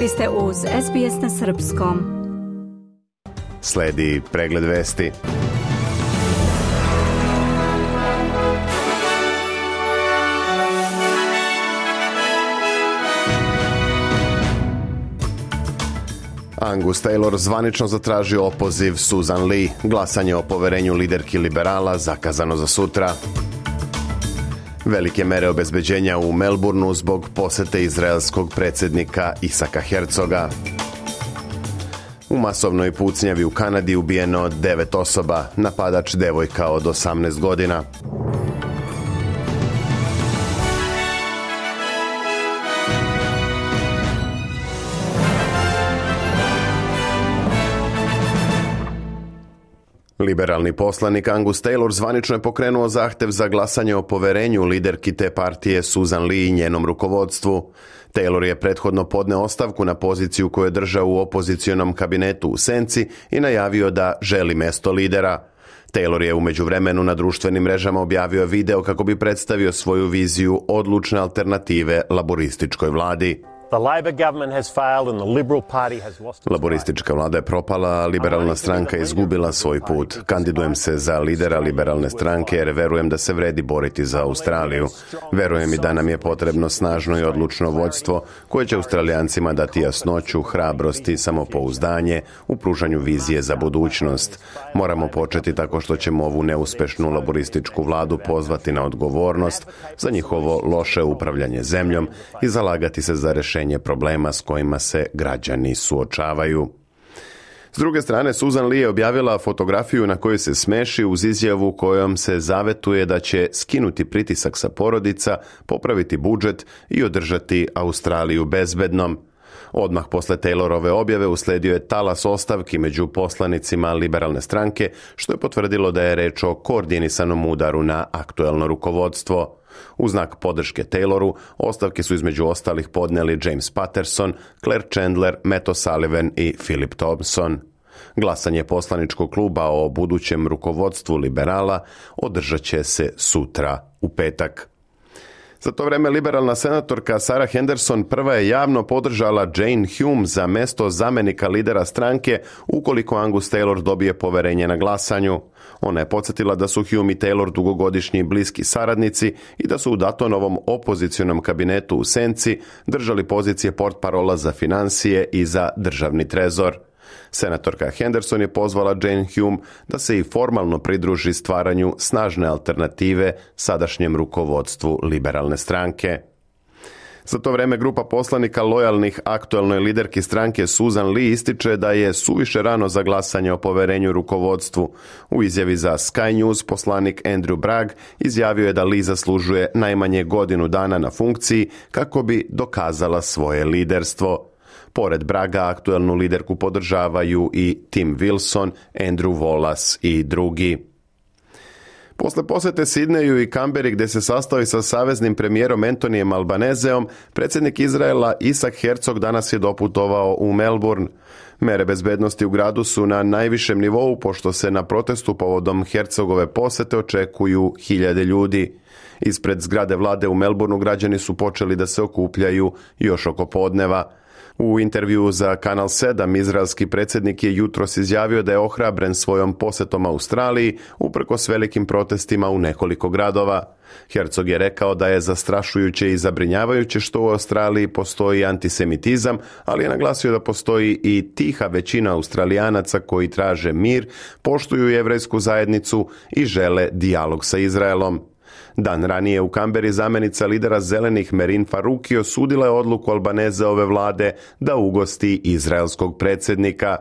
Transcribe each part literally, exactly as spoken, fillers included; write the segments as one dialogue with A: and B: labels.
A: Vi ste uz S B S na srpskom.
B: Sledi pregled vesti. Angus Taylor zvanično zatražio opoziv Susan Lee. Glasanje o poverenju liderki liberala zakazano za sutra. Velike mere obezbeđenja u Melbourneu zbog posete izraelskog predsjednika Isaka Herzoga. U masovnoj pucnjavi u Kanadi ubijeno devet osoba, napadač devojka od osamnaest godina. Liberalni poslanik Angus Taylor zvanično je pokrenuo zahtev za glasanje o poverenju liderki te partije Susan Lee i njenom rukovodstvu. Taylor je prethodno podneo ostavku na poziciju koju je držao u opozicionom kabinetu u senci i najavio da želi mesto lidera. Taylor je u međuvremenu na društvenim mrežama objavio video kako bi predstavio svoju viziju odlučne alternative laborističkoj vladi. Laboristička vlada je propala, a liberalna stranka je izgubila svoj put. Kandidujem se za lidera liberalne stranke jer verujem da se vredi boriti za Australiju. Verujem i da nam je potrebno snažno i odlučno vođstvo koje će Australijancima dati jasnoću, hrabrost i samopouzdanje u pružanju vizije za budućnost. Moramo početi tako što ćemo ovu neuspešnu laborističku vladu pozvati na odgovornost za njihovo loše upravljanje zemljom i zalagati se za rješenje problema s kojima se građani suočavaju. S druge strane, Susan Lee je objavila fotografiju na kojoj se smeši uz izjavu kojom se zavetuje da će skinuti pritisak sa porodica, popraviti budžet i održati Australiju bezbednom. Odmah posle Taylorove objave usledio je talas ostavki među poslanicima liberalne stranke, što je potvrdilo da je reč o koordinisanom udaru na aktuelno rukovodstvo. U znak podrške Tayloru, ostavke su između ostalih podneli James Patterson, Claire Chandler, Matt O'Sullivan i Philip Thompson. Glasanje poslaničkog kluba o budućem rukovodstvu liberala održat će se sutra u petak. Za to vreme liberalna senatorka Sarah Henderson prva je javno podržala Jane Hume za mesto zamenika lidera stranke ukoliko Angus Taylor dobije poverenje na glasanju. Ona je podsjetila da su Hume i Taylor dugogodišnji bliski saradnici i da su u Datonovom opozicionom kabinetu u senci držali pozicije portparola za financije i za državni trezor. Senatorka Henderson je pozvala Jane Hume da se i formalno pridruži stvaranju snažne alternative sadašnjem rukovodstvu liberalne stranke. Za to vreme grupa poslanika lojalnih aktuelnoj liderki stranke Susan Lee ističe da je suviše rano za glasanje o poverenju rukovodstvu. U izjavi za Sky News poslanik Andrew Bragg izjavio je da Lee zaslužuje najmanje godinu dana na funkciji kako bi dokazala svoje liderstvo. Pored Braga, aktuelnu liderku podržavaju i Tim Wilson, Andrew Wallace i drugi. Posle posete Sidneju i Kamberi gdje se sastao sa saveznim premijerom Antonijem Albanezeom, predsjednik Izraela Isak Herzog danas je doputovao u Melbourne. Mere bezbednosti u gradu su na najvišem nivou pošto se na protestu povodom Herzogove posete očekuju hiljade ljudi. Ispred zgrade vlade u Melbourneu građani su počeli da se okupljaju još oko podneva. U intervjuu za Kanal sedam izraelski predsjednik je jutros izjavio da je ohrabren svojom posetom Australiji uprkos velikim protestima u nekoliko gradova. Herzog je rekao da je zastrašujuće i zabrinjavajuće što u Australiji postoji antisemitizam, ali je naglasio da postoji i tiha većina Australijanaca koji traže mir, poštuju jevrejsku zajednicu i žele dijalog sa Izraelom. Dan ranije u Kamberi zamenica lidera zelenih Merin Faruqi osudila je odluku Albanezeove vlade da ugosti izraelskog predsjednika.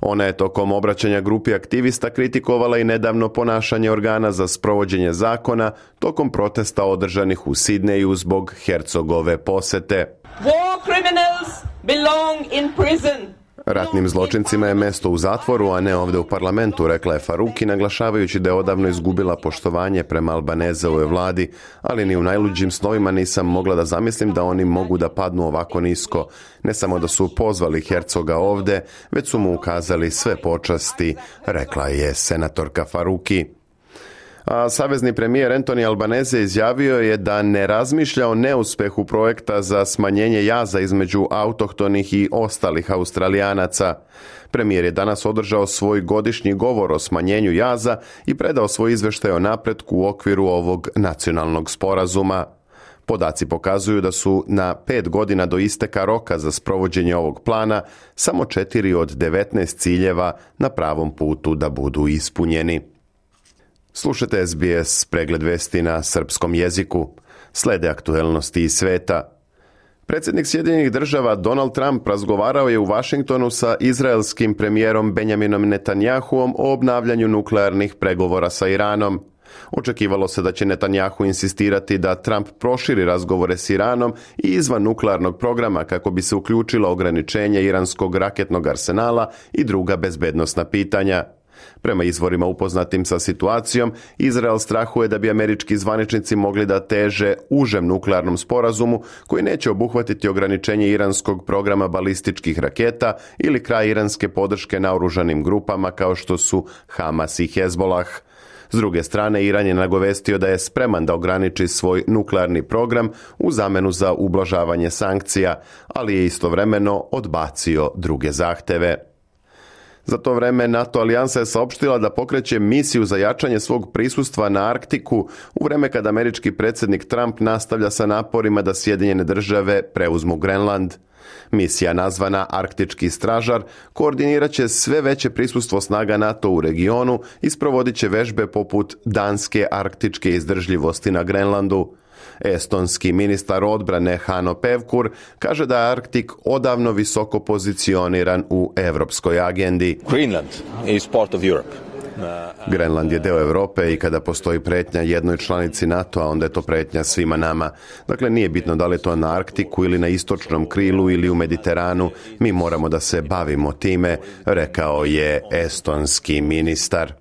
B: Ona je tokom obraćanja grupi aktivista kritikovala i nedavno ponašanje organa za sprovođenje zakona tokom protesta održanih u Sidneju zbog Herzogove posete.
C: War criminals belong in prison.
B: Ratnim zločincima je mesto u zatvoru, a ne ovdje u parlamentu, rekla je Faruqi, naglašavajući da je odavno izgubila poštovanje prema Albanezeovoj vladi, ali ni u najluđim snovima nisam mogla da zamislim da oni mogu da padnu ovako nisko. Ne samo da su pozvali Herzoga ovdje, već su mu ukazali sve počasti, rekla je senatorka Faruqi. A savezni premijer Anthony Albanese izjavio je da ne razmišlja o neuspehu projekta za smanjenje jaza između autohtonih i ostalih Australijanaca. Premijer je danas održao svoj godišnji govor o smanjenju jaza i predao svoj izveštaj o napretku u okviru ovog nacionalnog sporazuma. Podaci pokazuju da su na pet godina do isteka roka za sprovođenje ovog plana samo četiri od devetnaest ciljeva na pravom putu da budu ispunjeni. Slušajte S B S pregled vesti na srpskom jeziku. Slede aktuelnosti iz sveta. Predsjednik Sjedinjenih država Donald Trump razgovarao je u Washingtonu sa izraelskim premijerom Benjaminom Netanjahuom o obnavljanju nuklearnih pregovora sa Iranom. Očekivalo se da će Netanjahu insistirati da Trump proširi razgovore s Iranom i izvan nuklearnog programa kako bi se uključilo ograničenje iranskog raketnog arsenala i druga bezbednosna pitanja. Prema izvorima upoznatim sa situacijom, Izrael strahuje da bi američki zvaničnici mogli da teže užem nuklearnom sporazumu koji neće obuhvatiti ograničenje iranskog programa balističkih raketa ili kraj iranske podrške naoružanim grupama kao što su Hamas i Hezbolah. S druge strane, Iran je nagovestio da je spreman da ograniči svoj nuklearni program u zamenu za ublažavanje sankcija, ali je istovremeno odbacio druge zahteve. Za to vreme NATO alijansa je saopštila da pokreće misiju za jačanje svog prisustva na Arktiku u vreme kad američki predsjednik Trump nastavlja sa naporima da Sjedinjene države preuzmu Grenland. Misija nazvana Arktički stražar koordinirat će sve veće prisustvo snaga NATO u regionu i sprovodit će vežbe poput danske arktičke izdržljivosti na Grenlandu. Estonski ministar odbrane Hanno Pevkur kaže da je Arktik odavno visoko pozicioniran u evropskoj agendi.
D: Greenland is part of Europe.
B: Grenland je deo Europe i kada postoji pretnja jednoj članici NATO-a, onda je to pretnja svima nama. Dakle, nije bitno da li je to na Arktiku ili na istočnom krilu ili u Mediteranu, mi moramo da se bavimo time, rekao je estonski ministar.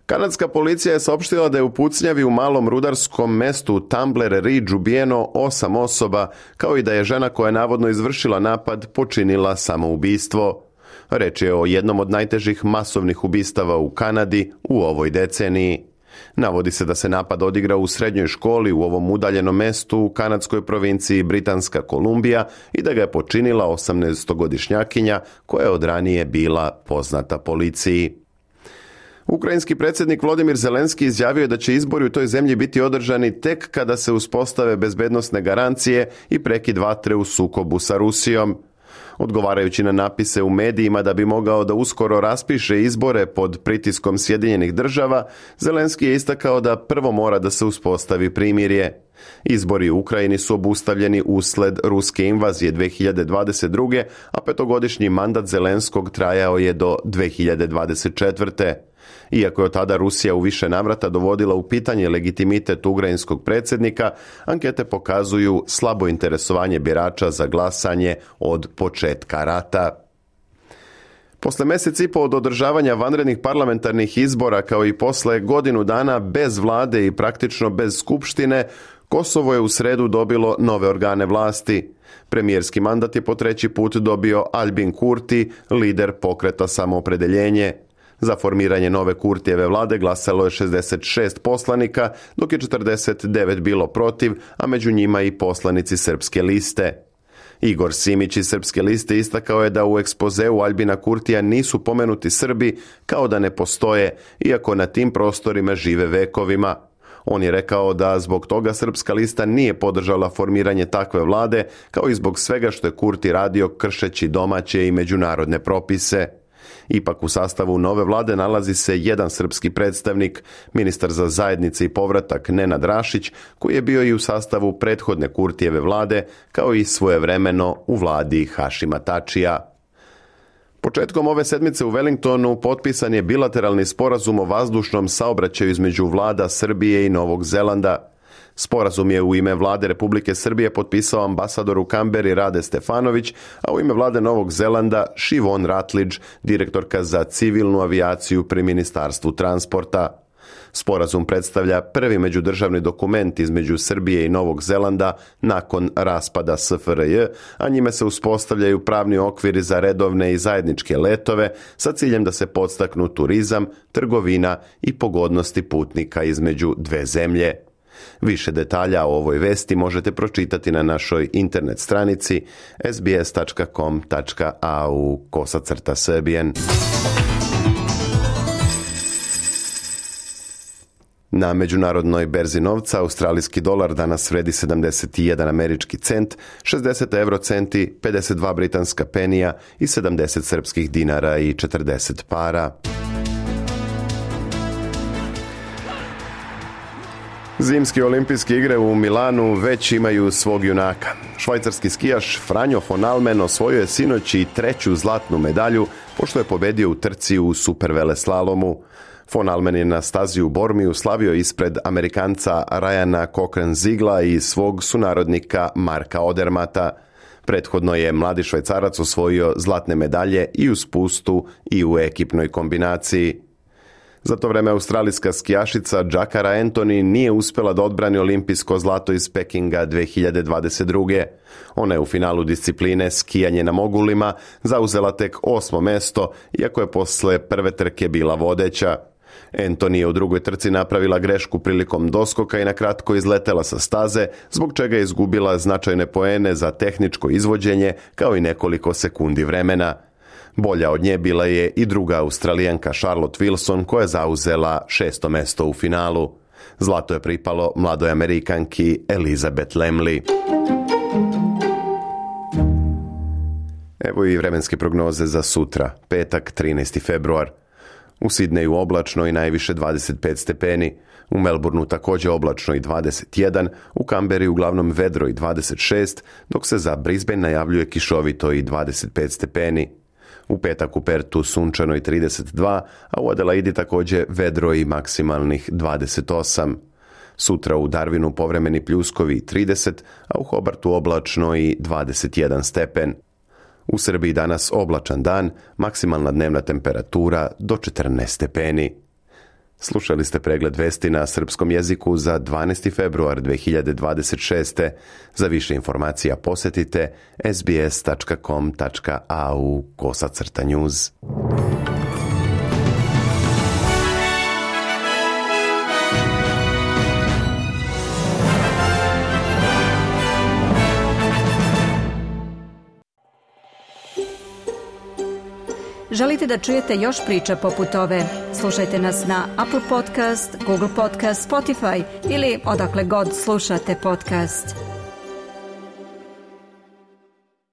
B: Kanadska policija je saopštila da je u pucnjavi u malom rudarskom mestu Tumbler Ridge ubijeno osam osoba, kao i da je žena koja je navodno izvršila napad počinila samoubistvo. Reč je o jednom od najtežih masovnih ubistava u Kanadi u ovoj deceniji. Navodi se da se napad odigrao u srednjoj školi u ovom udaljenom mestu u kanadskoj provinciji Britanska Kolumbija i da ga je počinila osamnaestogodišnjakinja koja je od ranije bila poznata policiji. Ukrajinski predsjednik Volodymyr Zelenski izjavio je da će izbori u toj zemlji biti održani tek kada se uspostave bezbednosne garancije i prekid vatre u sukobu sa Rusijom. Odgovarajući na napise u medijima da bi mogao da uskoro raspiše izbore pod pritiskom Sjedinjenih država, Zelenski je istakao da prvo mora da se uspostavi primirje. Izbori u Ukrajini su obustavljeni usled ruske invazije dve hiljade dvadeset druge. a petogodišnji mandat Zelenskog trajao je do dve hiljade dvadeset četvrte. Iako je od tada Rusija u više navrata dovodila u pitanje legitimitet ukrajinskog predsjednika, ankete pokazuju slabo interesovanje birača za glasanje od početka rata. Posle mjesec i po od održavanja vanrednih parlamentarnih izbora, kao i posle godinu dana bez vlade i praktično bez skupštine, Kosovo je u sredu dobilo nove organe vlasti. Premijerski mandat je po treći put dobio Albin Kurti, lider pokreta Samoopredeljenje. Za formiranje nove Kurtijeve vlade glasalo je šezdeset šest poslanika, dok je četrdeset devet bilo protiv, a među njima i poslanici Srpske liste. Igor Simić iz Srpske liste istakao je da u ekspozeu Albina Kurtija nisu pomenuti Srbi, kao da ne postoje, iako na tim prostorima žive vekovima. On je rekao da zbog toga Srpska lista nije podržala formiranje takve vlade, kao i zbog svega što je Kurti radio kršeći domaće i međunarodne propise. Ipak u sastavu nove vlade nalazi se jedan srpski predstavnik, ministar za zajednice i povratak Nenad Rašić, koji je bio i u sastavu prethodne Kurtijeve vlade, kao i svojevremeno u vladi Hašima Tačija. Početkom ove sedmice u Wellingtonu potpisan je bilateralni sporazum o vazdušnom saobraćaju između vlada Srbije i Novog Zelanda. Sporazum je u ime vlade Republike Srbije potpisao ambasador u Kamberi Rade Stefanović, a u ime vlade Novog Zelanda Siobhan Rutledge, direktorka za civilnu avijaciju pri Ministarstvu transporta. Sporazum predstavlja prvi međudržavni dokument između Srbije i Novog Zelanda nakon raspada S F R J, a njime se uspostavljaju pravni okviri za redovne i zajedničke letove sa ciljem da se podstaknu turizam, trgovina i pogodnosti putnika između dve zemlje. Više detalja o ovoj vesti možete pročitati na našoj internet stranici s b s tačka com tačka a u kosacrta srbijen. Na međunarodnoj berzi novca australijski dolar danas vredi sedamdeset jedan američki cent, šezdeset eurocenti, pedeset dva britanska penija i sedamdeset srpskih dinara i četrdeset para. Zimske olimpijske igre u Milanu već imaju svog junaka. Švajcarski skijaš Franjo von Almen osvojio je sinoć i treću zlatnu medalju pošto je pobedio u trci u superveleslalomu. Von Almen je na stazi u Bormiju slavio ispred Amerikanca Ryana Cochrane-Zigla i svog sunarodnika Marka Odermata. Prethodno je mladi Švajcarac osvojio zlatne medalje i u spustu i u ekipnoj kombinaciji. Za to vreme australijska skijašica Jakara Anthony nije uspjela da odbrani olimpijsko zlato iz Pekinga dve hiljade dvadeset druge. Ona je u finalu discipline skijanje na mogulima zauzela tek osmo mesto, iako je posle prve trke bila vodeća. Anthony je u drugoj trci napravila grešku prilikom doskoka i na kratko izletela sa staze, zbog čega je izgubila značajne poene za tehničko izvođenje kao i nekoliko sekundi vremena. Bolja od nje bila je i druga Australijanka Charlotte Wilson koja je zauzela šesto mesto u finalu. Zlato je pripalo mladoj Amerikanki Elizabeth Lemley. Evo i vremenske prognoze za sutra, petak trinaesti februar. U Sidneju oblačno i najviše dvadeset pet stepeni, u Melbourneu također oblačno i dvadeset jedan, u Kamberi uglavnom vedro i dvadeset šest, dok se za Brisbane najavljuje kišovito i dvadeset pet stepeni. U petak u Pertu sunčano i trideset dva, a u Adelaidi također vedro i maksimalnih dvadeset osam. Sutra u Darwinu povremeni pljuskovi trideset, a u Hobartu oblačno i dvadeset jedan stepen. U Srbiji danas oblačan dan, maksimalna dnevna temperatura do četrnaest stepeni. Slušali ste pregled vesti na srpskom jeziku za dvanaesti februar dve hiljade dvadeset šeste. Za više informacija posjetite s b s tačka com tačka a u kosacrta news.
A: Želite da čujete još priča poput ove? Slušajte nas na Apple Podcast, Google Podcast, Spotify ili odakle god slušate podcast.